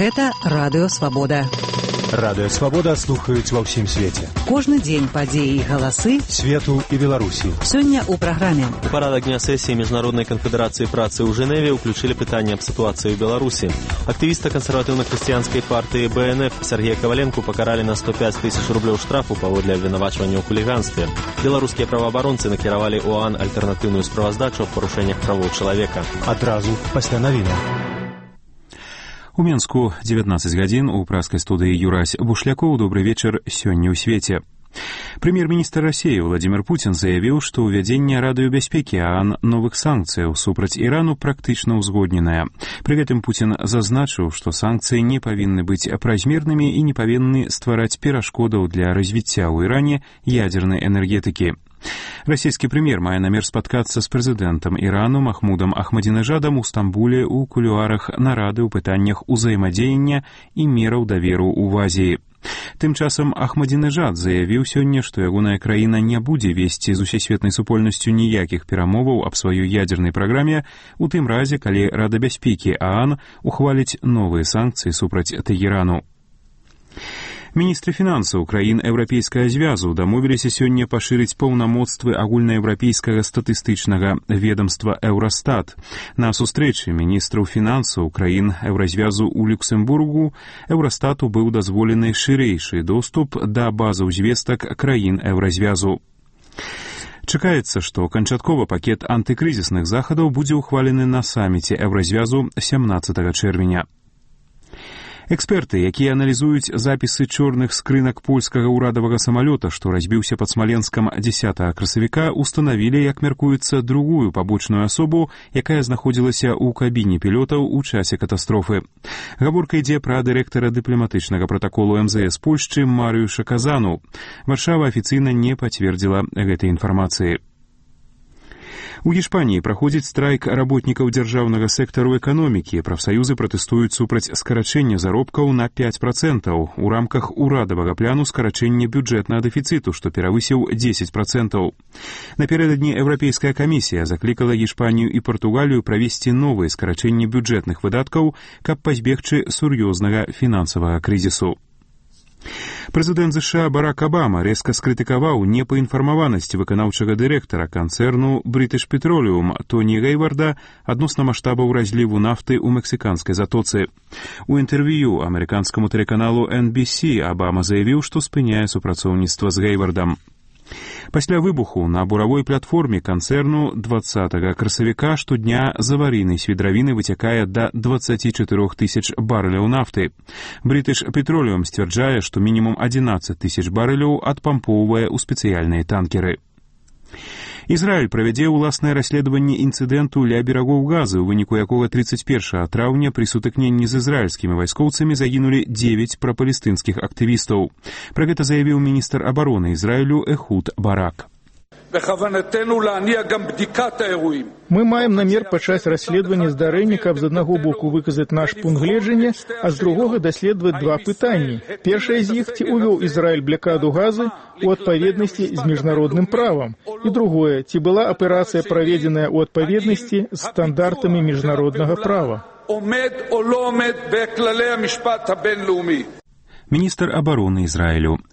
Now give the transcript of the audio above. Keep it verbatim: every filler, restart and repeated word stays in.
Гэта Радыё Свабода. Радыё Свабода слухаюць ва ўсім свеце. Кожны дзень падзеі і галасы свету і Беларусі. Сёння ў праграме. У парадак дня сесіі Міжнароднай канфедэрацыі працы ў Жэневе ўключылі пытанне аб сітуацыі ў Беларусі. Актывіста кансерватыўна-хрысціянскай партыі Бэ Эн Эф Сергея Каваленку пакаралі на сто пяць тысяч рублёў штрафу паводле абвінавачвання ў хуліганстве. Беларускія праваабаронцы накіравалі ОАН альтэрнатыўную справаздачу аб парушэннях правоў чалавека. Адразу пасля навінаў. У Менску дзевятнаццаць гадзін у праскай студыі Юрась Бушлякоў. Добры вечар сёння ў свеце. Прэм'ер-міністр Расіі Владзімір Пуцін заявіў, што ўвядзенне радыёбяспекі ААН новых санкцыяў супраць Ірану практычна ўзгодненае. Пры гэтым Пуцін зазначыў, што санкцыі не павінны быць празмернымі і не павінны ствараць перашкодаў для развіцця ў Іране ядзернай энергетыкі. Расійскі прэм'ер мае намер спаткацца з прэзідэнтам Ірану Махмудам Ахмадзінежадам у Стамбуле ў кулуарах нарады ў пытаннях узаемадзеяння і мераў даверу ў Азіі. Тым часам Ахмадзінежад заявіў сёння, што ягоная краіна не будзе весці з усесветнай супольнасцю ніякіх перамоваў аб сваёй ядзернай праграме у тым разе, калі Рада бяспекі ААН ухваліць новыя санкцыі супраць Тэгэрану. Міністры фінансаў краін Еўрапейскага звязу дамовіліся сёння пашырыць паўнамоцтвы агульнаеўрапейскага статыстычнага ведамства Еўрастат. На сустрэчы міністраў фінансаў краін Еўразвязу ў Люксембургу Еўрастату быў дазволены шырэйшы доступ да базаў звестак краін Еўразвязу. Чакаецца, што канчатковы пакет антыкрызісных захадаў будзе ўхвалены на саміце Еўразвязу сямнаццатага чэрвеня. Эксперты, якія аналізуюць запісы чорных скрынак польскага ўрадавага самалёта, што разбіўся пад Смаленскам дзесятага красавіка, устанавілі, як мяркуецца, другую пабочную асобу, якая знаходзілася ў кабіне пілотаў у часе катастрофы. Гаворка ідзе пра дырэктара дыпламатычнага пратаколу эм зэ эс Польшчы Марыюша Казану. Варшава афіцыйна не пацвердзіла гэтай інфармацыі. У Іспаніі праходзіць страйк работнікаў дзяржаўнага сектару эканомікі. Прафсаюзы пратэстуюць супраць скарачэння заробкаў на пяць працэнтаў у рамках урадавага пляну скарачэння бюджэтнага дэфіцыту, што перавысіў дзесяць працэнтаў. Напярэдадні Еўрапейская камісія заклікала Іспанію і Партугалію правесці новыя скарачэнні бюджэтных выдаткаў, каб пазбегчы сур'ёзнага фінансавага крызісу. Прэзідэнт ЗША Барак Абама рэзка скрытыкаваў непаінфармаванасць выканаўчага дырэктара канцэрну British Petroleum Тоні Гейварда адносна маштабаў разліву нафты ў мексіканскай затоцы. У інтэрв'ю амерыканскаму тэлеканалу эн би си Абама заявіў, што спыняе супрацоўніцтва з Гейвардам. Пасля выбуху на буравой платформе канцэрну дваццатага красавіка штодня з аварыйнай свідравіны выцякае да дваццаці чатырох тысяч барэляў нафты. British Petroleum сцвярджае, што мінімум адзінаццаць тысяч барэляў адпампоўвае ў спецыяльныя танкеры. Ізраіль правядзе ўласнае расследаванне інцыдэнту ля берагоў Газы, у выніку якога трыццаць першага траўня пры сутыкненні з ізраільскімі вайскоўцамі загінулі дзевяць прапалестынскіх актывістаў. Пра гэта заявіў міністр абароны Ізраілю Эхуд Барак. Мы маем намер пачаць расследаванне здарэння, каб з аднаго боку выказаць наш пункт гледжання, а з другога даследаваць два пытанні. Першае з іх, ці ўвёў Ізраіль блакаду Газы у адпаведнасці з міжнародным правам. І другое, ці была аперацыя праведзеная ў адпаведнасці з стандартамі міжнароднага права. Міністр абароны Ізраілю